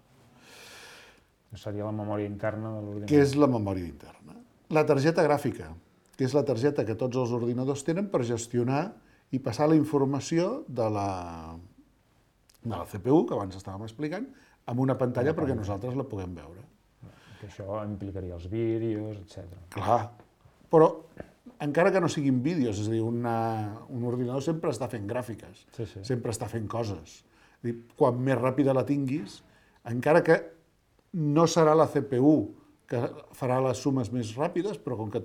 Seria la memòria interna de l'ordinador. Què és la memòria interna? La targeta gràfica, que és la targeta que tots els ordinadors tenen per gestionar i passar la informació de la, de la C P U, que abans estàvem explicant, amb una pantalla perquè nosaltres la puguem veure. Que això implicaria els vídeos, etcètera. Clar, però encara que no siguin vídeos, és a dir, una, un ordinador sempre està fent gràfiques, Sí, sí. sempre està fent coses. És a dir, quan més ràpida la tinguis, encara que no serà la C P U que farà les sumes més ràpides, però com que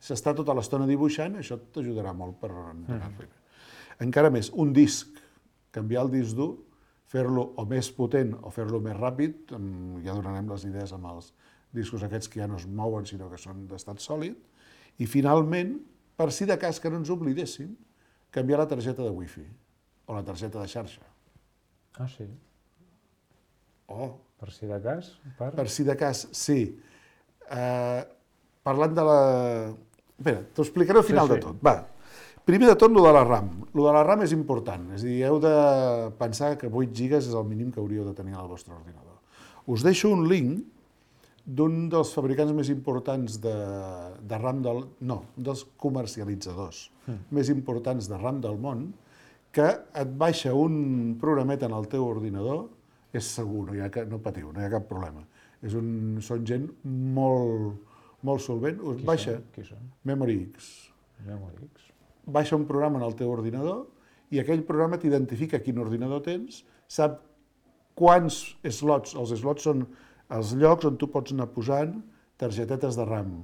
s'està tota l'estona dibuixant, això t'ajudarà molt per anar-li. Mm. Encara més, un disc, canviar el disc dur, fer-lo o més potent o fer-lo més ràpid, ja donarem les idees amb els discos aquests que ja no es mouen, sinó que són d'estat sòlid, i finalment, per si de cas que no ens oblidéssim, canviar la targeta de wifi o la targeta de xarxa. Ah, sí? Oh, Per si de cas? Per, per si de cas, sí. Uh, parlant de la... Espera, t'ho explicaré al final Sí, sí. de tot. Va. Primer de tot, lo de la RAM. Lo de la RAM és important. És a dir, heu de pensar que vuit gigas és el mínim que hauríeu de tenir al vostre ordinador. Us deixo un link d'un dels fabricants més importants de, de RAM del... No, dels comercialitzadors mm. més importants de RAM del món, que et baixa un programet en el teu ordinador, és segur, no, hi ha, no patiu, no hi ha cap problema. És un, són gent molt, molt solvent. Us Qui baixa són? Qui són? MemoryX. MemoryX. Baixa un programa en el teu ordinador i aquell programa t'identifica quin ordinador tens, sap quants slots, els slots són els llocs on tu pots anar posant targetetes de RAM.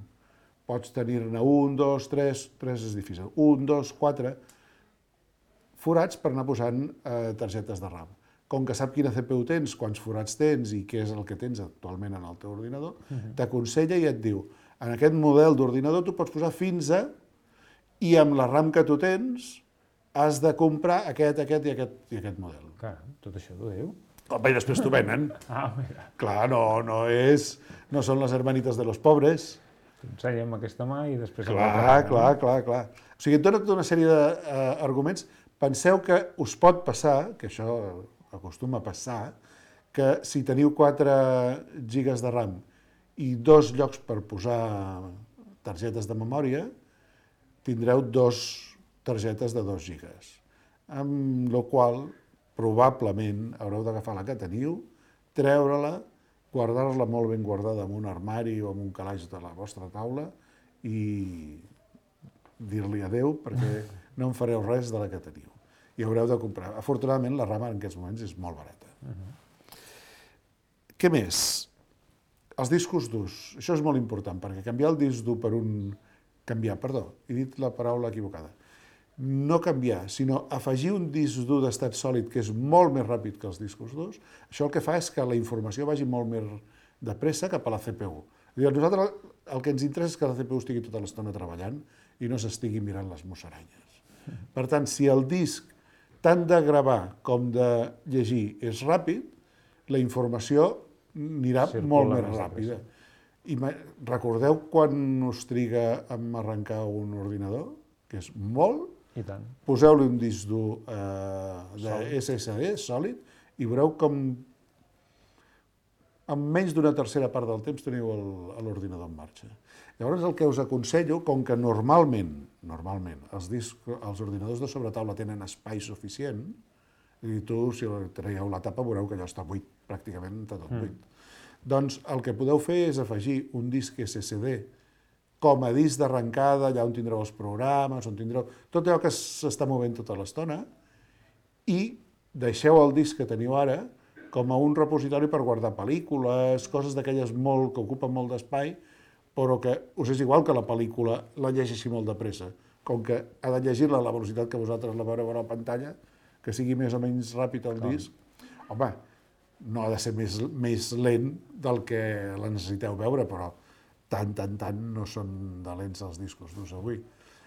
Pots tenir-ne un, dos, tres, tres és difícil, un, dos, quatre forats per anar posant eh, targetes de RAM. Com que sap quina C P U tens, quants forats tens i què és el que tens actualment en el teu ordinador, uh-huh. t'aconsella i et diu, en aquest model d'ordinador tu pots posar fins a, i amb la RAM que tu tens, has de comprar aquest, aquest i aquest, i aquest model. Clar, tot això t'ho diu? Home, i després t'ho venen. Ah, mira. Clar, no, no és... No són les hermanites de los pobres. T'ensenya amb aquesta mà i després... Clar, clar, clar, clar. O sigui, et dona tota una sèrie d'arguments. Penseu que us pot passar, que això acostuma a passar, que si teniu quatre gigas de RAM i dos llocs per posar targetes de memòria, tindreu dos targetes de dos gigas. Amb la qual probablement haureu d'agafar la que teniu, treure-la, guardar-la molt ben guardada en un armari o en un calaix de la vostra taula i dir-li adeu perquè no en fareu res de la que teniu. I haureu de comprar. Afortunadament, la RAM en aquests moments és molt barata. Uh-huh. Què més? Els discos durs. Això és molt important, perquè canviar el disc dur per un... Canviar, perdó, he dit la paraula equivocada. No canviar, sinó afegir un disc dur d'estat sòlid que és molt més ràpid que els discos durs, això el que fa és que la informació vagi molt més de pressa cap a la C P U. A nosaltres el que ens interessa és que la C P U estigui tota l'estona treballant i no s'estigui mirant les musaranyes. Per tant, si el disc tant de gravar com de llegir és ràpid, la informació anirà Circula molt més més ràpida. I recordeu quan us triga a arrencar un ordinador? Que és molt. I tant. Poseu-li un disc dur eh, de S S D sòlid i veureu com en menys d'una tercera part del temps teniu l'ordinador en marxa. Llavors el que us aconsello, com que normalment, normalment els, disc, els ordinadors de sobretaula tenen espai suficient, I tu, si traieu la tapa, veureu que allò està buit, pràcticament està tot buit. Doncs el que podeu fer és afegir un disc S S D com a disc d'arrencada, allà on tindreu els programes, on tindreu tot allò que s'està movent tota l'estona, i deixeu el disc que teniu ara com a un repositori per guardar pel·lícules, coses d'aquelles molt que ocupen molt d'espai, però que us és igual que la pel·lícula la llegeixi molt de pressa. Com que ha de llegir-la a la velocitat que vosaltres la veureu a la pantalla, que sigui més o menys ràpid el disc, home, no ha de ser més, més lent del que la necessiteu veure, però tant, tant, tant no són de lents els discos durs avui.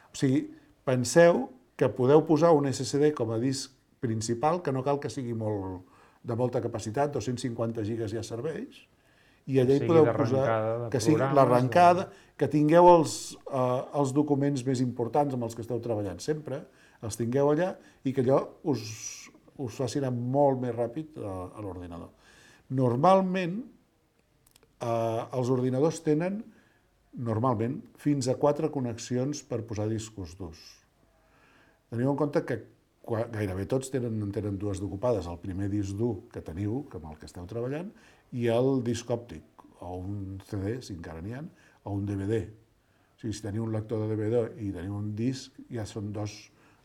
O sigui, penseu que podeu posar un S S D com a disc principal, que no cal que sigui molt, de molta capacitat, dos-cents cinquanta gigas ja serveix, i allà hi podeu posar que sigui l'arrencada, que tingueu els, eh, els documents més importants amb els que esteu treballant sempre, els tingueu allà i que allò us, us faci anar molt més ràpid a, a l'ordinador. Normalment, eh, els ordinadors tenen, normalment, fins a quatre connexions per posar discos durs. Teniu en compte que gairebé tots tenen, tenen dues d'ocupades, el primer disc dur que teniu, amb el que esteu treballant, i el disc òptic, o un C D, si encara n'hi ha, o un D V D. O sigui, si teniu un lector de D V D i teniu un disc, ja són dos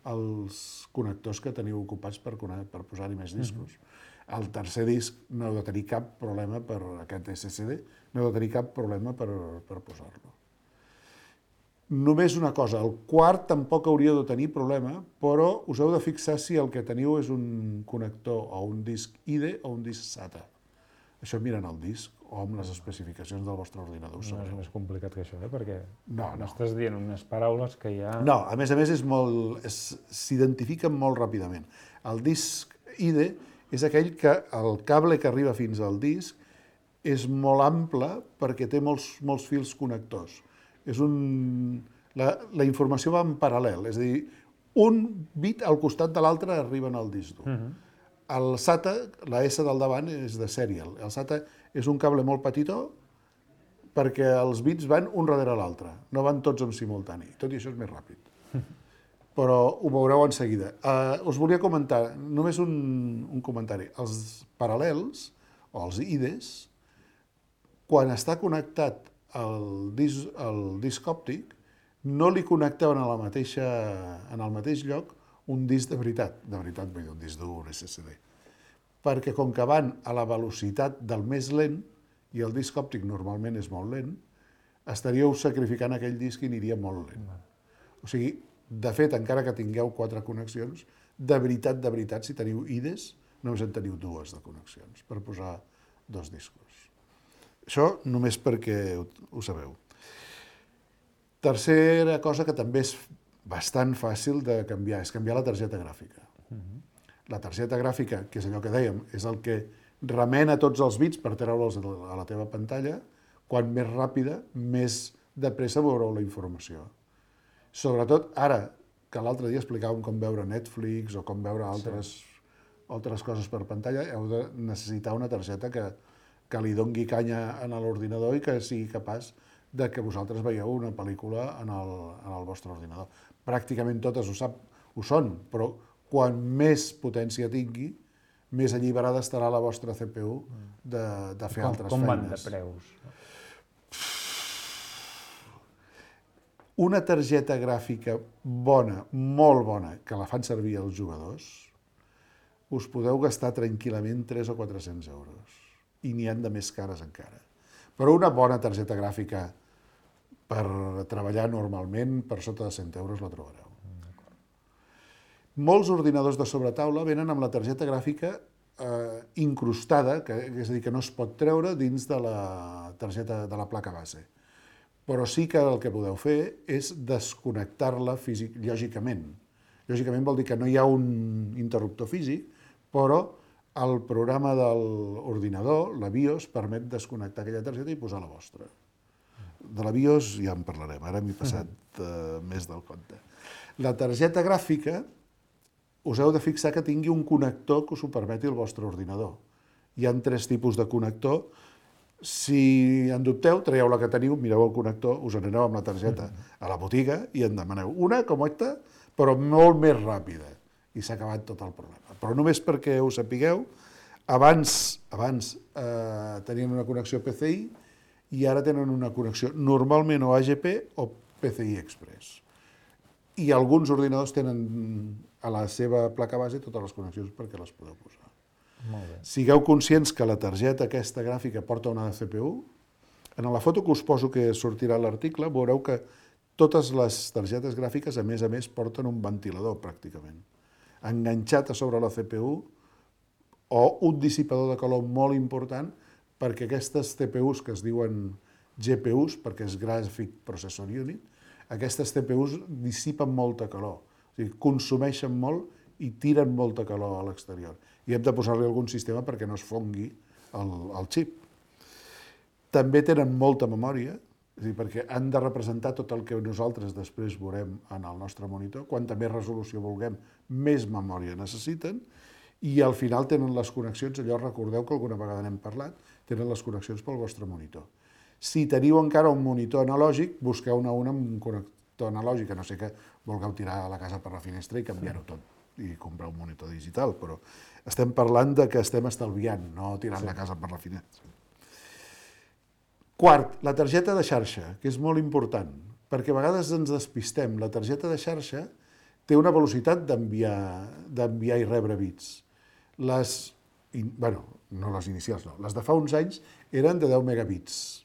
els connectors que teniu ocupats per, per posar-hi més discos. Mm-hmm. El tercer disc no heu de tenir cap problema per aquest S S D, no heu de tenir cap problema per, per posar-lo. Només una cosa, el quart tampoc hauria de tenir problema, però us heu de fixar si el que teniu és un connector o un disc I D E o un disc SATA. Això mirant el disc o amb les especificacions del vostre ordinador. No és més complicat que això, eh? Perquè no, no. estàs dient unes paraules que ja... No, a més a més és molt, s'identifiquen molt ràpidament. El disc I D E és aquell que el cable que arriba fins al disc és molt ample perquè té molts, molts fils connectors. És un... La, la informació va en paral·lel, és a dir, un bit al costat de l'altre arriben al disc dur. Uh-huh. El SATA, la S del davant, és de serial. El SATA és un cable molt petitó perquè els bits van un darrere l'altre, no van tots en simultani. Tot i això és més ràpid. Però ho veureu en seguida. Uh, us volia comentar, només un, un comentari. Els paral·lels, o els I D Es, quan està connectat el disc, el disc òptic, no li connectaven a la mateixa, en el mateix lloc un disc de veritat, de veritat vull dir un disc dur, un S S D, perquè com que van a la velocitat del més lent, i el disc òptic normalment és molt lent, estaríeu sacrificant aquell disc i aniria molt lent. O sigui, de fet, encara que tingueu quatre connexions, de veritat, de veritat, si teniu I D Es, només en teniu dues de connexions per posar dos discos. Això només perquè ho, ho sabeu. Tercera cosa que també és bastant fàcil de canviar, és canviar la targeta gràfica. Uh-huh. La targeta gràfica, que és allò que dèiem, és el que remena tots els bits per treure'ls a la teva pantalla, quan més ràpida, més de pressa veureu la informació. Sobretot ara, que l'altre dia explicàvem com veure Netflix o com veure altres, sí. altres coses per pantalla, heu de necessitar una targeta que, que li dongui canya a l'ordinador i que sigui capaç de que vosaltres veieu una pel·lícula en el, en el vostre ordinador. Pràcticament totes ho, sap, ho són, però quan més potència tingui, més alliberada estarà la vostra C P U de, de fer com, altres com feines. Com van de preus? Una targeta gràfica bona, molt bona, que la fan servir els jugadors, us podeu gastar tranquil·lament tres o quatre-cents euros. I n'hi han de més cares encara. Però una bona targeta gràfica per treballar normalment, per sota de cent euros la trobareu. Molts ordinadors de sobretaula venen amb la targeta gràfica eh, incrustada, que, és a dir, que no es pot treure dins de la targeta de la placa base. Però sí que el que podeu fer és desconnectar-la físic, lògicament. Lògicament vol dir que no hi ha un interruptor físic, però el programa de l'ordinador, la BIOS, permet desconnectar aquella targeta i posar la vostra. De la BIOS ja en parlarem, ara m'he passat uh, més del compte. La targeta gràfica, us heu de fixar que tingui un connector que us ho permeti el vostre ordinador. Hi ha tres tipus de connector. Si en dubteu, traieu la que teniu, mireu el connector, us aneu amb la targeta a la botiga i en demaneu una com aquesta, però molt més ràpida. i s'ha acabat tot el problema. Però només perquè ho sapigueu, abans, abans eh, tenien una connexió P C I i ara tenen una connexió normalment o A G P o P C I Express. I alguns ordinadors tenen a la seva placa base totes les connexions perquè les podeu posar. Molt bé. Sigueu conscients que la targeta aquesta gràfica porta una C P U. En la foto que us poso que sortirà a l'article veureu que totes les targetes gràfiques, a més a més, porten un ventilador, pràcticament, enganxat a sobre la C P U o un dissipador de calor molt important perquè aquestes C P Us que es diuen G P Us, perquè és Graphic Processor Unit, aquestes C P Us dissipen molta calor, o sigui, consumeixen molt i tiren molta calor a l'exterior. I hem de posar-li algun sistema perquè no es fongui el, el xip. També tenen molta memòria, és a dir, perquè han de representar tot el que nosaltres després veurem en el nostre monitor. Quanta més resolució vulguem, més memòria necessiten, i al final tenen les connexions, allò recordeu que alguna vegada n'hem parlat, tenen les connexions pel vostre monitor. Si teniu encara un monitor analògic, busqueu-ne un amb un connector analògic, a no sé que vulgueu tirar a la casa per la finestra i canviar-ho tot i comprar un monitor digital, però estem parlant de que estem estalviant, no tirant sí. la casa per la finestra. Quart, la targeta de xarxa, que és molt important, perquè a vegades ens despistem. La targeta de xarxa té una velocitat d'enviar i rebre bits. Les, bueno, no les inicials, no, les de fa uns anys eren de deu megabits.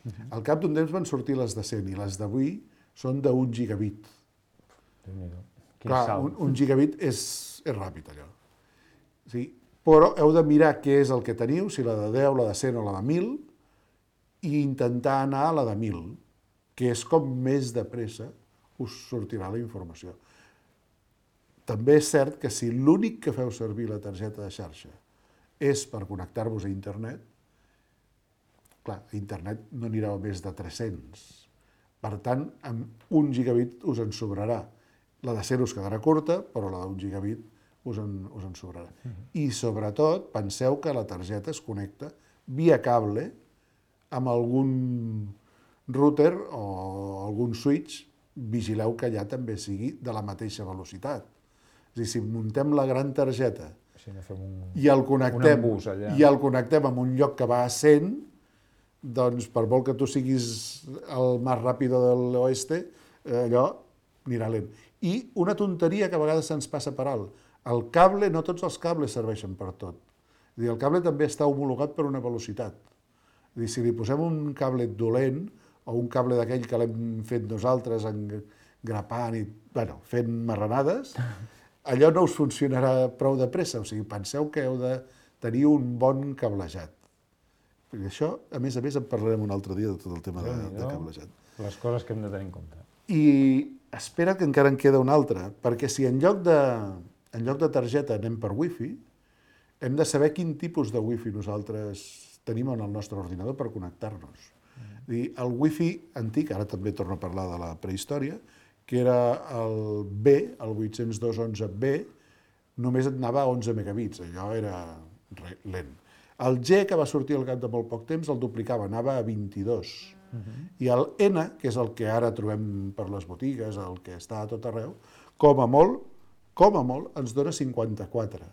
Uh-huh. Al cap d'un temps van sortir les de cent i les d'avui són d'un gigabit. Clar, un, un gigabit és, és ràpid, allò. Sí, però heu de mirar què és el que teniu, si la de deu, la de cent o la de mil, i intentar anar a la de mil, que és com més de pressa us sortirà la informació. També és cert que si l'únic que feu servir la targeta de xarxa és per connectar-vos a internet, clar, a internet no anirà a més de tres-cents. Per tant, amb un gigabit us en sobrarà. La de cent us quedarà curta, però la d'un gigabit us en, us en sobrarà. Uh-huh. I sobretot, penseu que la targeta es connecta via cable amb algun router o algun switch, vigileu que allà també sigui de la mateixa velocitat. És a dir, si muntem la gran targeta sí, un, i, el connectem, allà. i el connectem en un lloc que va a cent, doncs per molt que tu siguis el més ràpid de l'oeste, allò anirà lent. I una tonteria que a vegades se'ns passa per alt. El cable, no tots els cables serveixen per tot. És a dir, el cable també està homologat per una velocitat. És a dir, si li posem un cable dolent, o un cable d'aquell que l'hem fet nosaltres engrapant i, bueno, fent marranades, allò no us funcionarà prou de pressa. O sigui, penseu que heu de tenir un bon cablejat. Perquè això, a més a més, en parlarem un altre dia de tot el tema de, de cablejat. Les coses que hem de tenir en compte. I espera que encara en queda una altra, perquè si en lloc de, en lloc de targeta anem per wifi, hem de saber quin tipus de wifi nosaltres tenim en el nostre ordinador per connectar-nos. Mm. El wifi antic, ara també torno a parlar de la prehistòria, que era el B, el vuit-cents dos punto onze B, només et anava a onze megabits, allò era lent. El G, que va sortir al cap de molt poc temps, el duplicava, anava a vint-i-dos. Uh-huh. I el N, que és el que ara trobem per les botigues, el que està a tot arreu, com a molt, com a molt, ens dona cinquanta-quatre.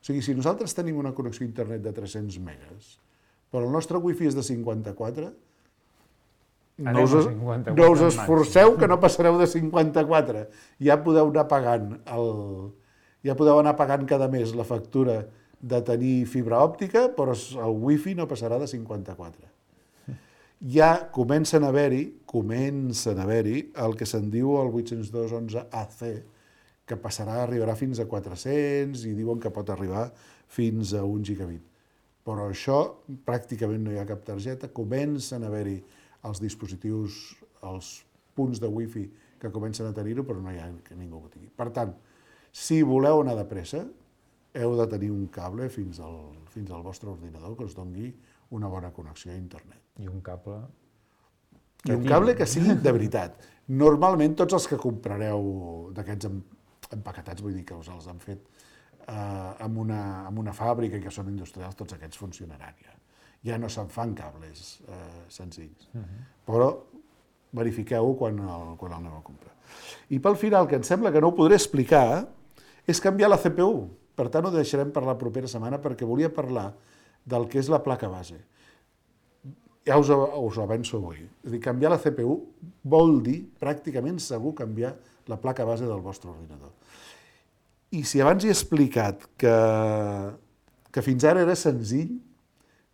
O sigui, si nosaltres tenim una connexió a internet de tres-cents megas, però el nostre wifi és de cinquanta-quatre, no us, cinquanta-quatre no us esforceu que no passareu de cinquanta-quatre. Ja podeu anar pagant, el, ja podeu anar pagant cada mes la factura de tenir fibra òptica, però el wifi no passarà de cinquanta-quatre. Ja comencen a haver-hi, comencen a haver-hi el que se'n diu el vuit-cents dos punto onze A C, que passarà, arribarà fins a quatre-cents i diuen que pot arribar fins a un gigabit. Però això pràcticament no hi ha cap targeta, comencen a haver-hi els dispositius, els punts de wifi que comencen a tenir-ho, però no hi ha que ningú ho tingui. Per tant, si voleu anar de pressa, heu de tenir un cable fins al, fins al vostre ordinador que us doni una bona connexió a internet. I un cable... I un cable que sigui de veritat. Normalment tots els que comprareu d'aquests empaquetats, vull dir que us els han fet eh, amb, una, amb una fàbrica i que són industrials, tots aquests funcionaran ja. Ja no se'n fan cables eh, senzills. Uh-huh. Però verifiqueu-ho quan el, quan el aneu a comprar. I pel final, que em sembla que no ho podré explicar, és canviar la C P U. Per tant, ho deixarem per la propera setmana perquè volia parlar del que és la placa base. Ja us, us ho avanço avui. És a dir, canviar la C P U vol dir pràcticament segur canviar la placa base del vostre ordinador. I si abans he explicat que, que fins ara era senzill,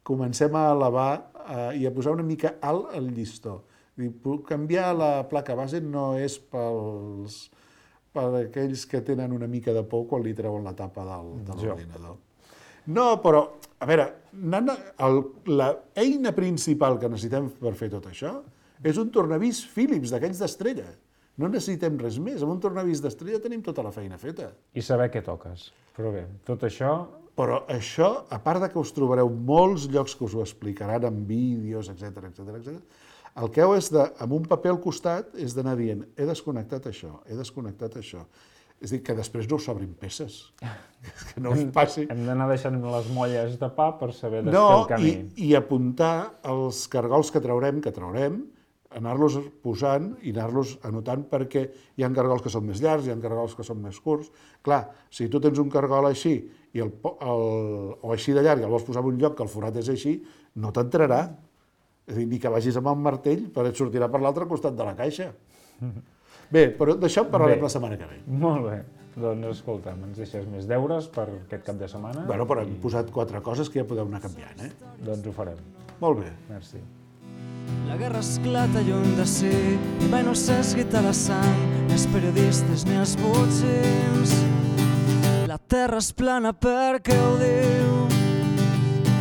comencem a elevar eh, i a posar una mica alt el llistó. Dir, canviar la placa base no és pels, per aquells que tenen una mica de por quan li treuen la tapa del, de l'ordinador. No, però, a veure, l'eina principal que necessitem per fer tot això és un tornavís Philips d'aquells d'estrella. No necessitem res més. Amb un tornavís d'estrella tenim tota la feina feta. I saber què toques. Però bé, tot això... Però això, a part de que us trobareu molts llocs que us ho explicaran en vídeos, etcètera, etcètera, etcètera, el que heu és de, amb un paper al costat, és d'anar dient, he desconnectat això, he desconnectat això. És a dir, que després no us sobrin peces. Que no us passi. Hem d'anar deixant les molles de pa per saber desfer no, el camí. I, i apuntar els cargols que traurem, que traurem, anar-los posant i anar-los anotant perquè hi ha cargols que són més llargs, hi ha cargols que són més curts. Clar, si tu tens un cargol així i el, el, o així de llarg, el vols posar en un lloc que el forat és així, no t'entrarà. És a dir, ni que vagis amb el martell, però et sortirà per l'altre costat de la caixa. Bé, però d'això en parlarem la setmana que ve. Molt bé. Doncs escolta'm, ens deixes més deures per aquest cap de setmana? Bueno, però hem posat quatre coses que ja podeu anar canviant, eh? Doncs ho farem. Molt bé. Merci. La guerra esclata lluny de si i mai no s'esguita la sang, ni els periodistes ni els botxins. La terra és plana perquè ho diu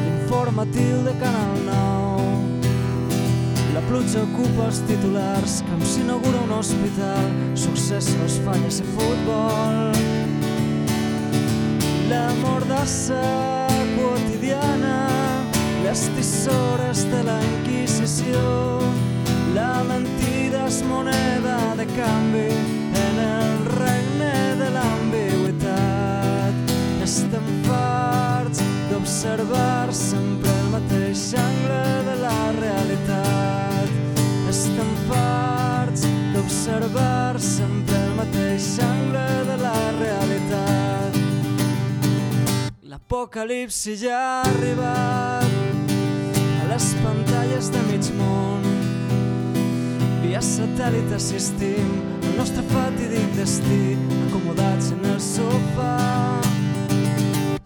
l'informatiu de Canal nou. La pluja ocupa els titulars com s'inaugura un hospital, successos, falles i futbol. La mordassa quotidiana, les tisores de la Inquisició, la mentida és moneda de canvi en el regne de l'ambigüitat. Estem farts d'observar sempre el mateix angle de la realitat. Estem farts d'observar sempre el mateix angle de la realitat. L'apocalipsi ja ha arribat a les pantalles de mig món. Via satèl·lit assistim al nostre fatídic destí, acomodats en el sofà.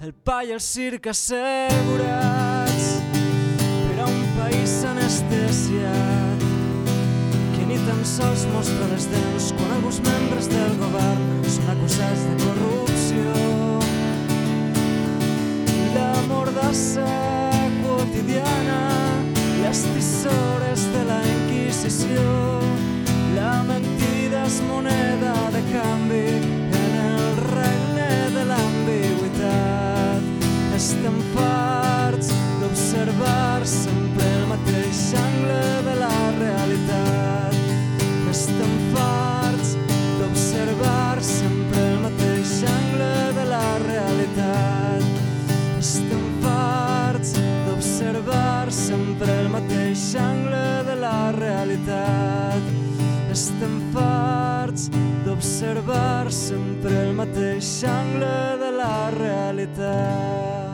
El pa i el circ assegurats per a un país anestesiat que ni tan sols mostra les dents quan alguns membres del govern són acusats de corrupció. La mordassa quotidiana, les tisores de la Inquisició, la mentida és moneda de canvi en el regne de l'ambigüitat. Estem farts d'observar sempre el mateix angle de la realitat. Estem farts d'observar sempre el mateix angle de la realitat. Estem farts d'observar sempre el mateix angle de la realitat. Estem farts d'observar sempre el mateix angle de la realitat.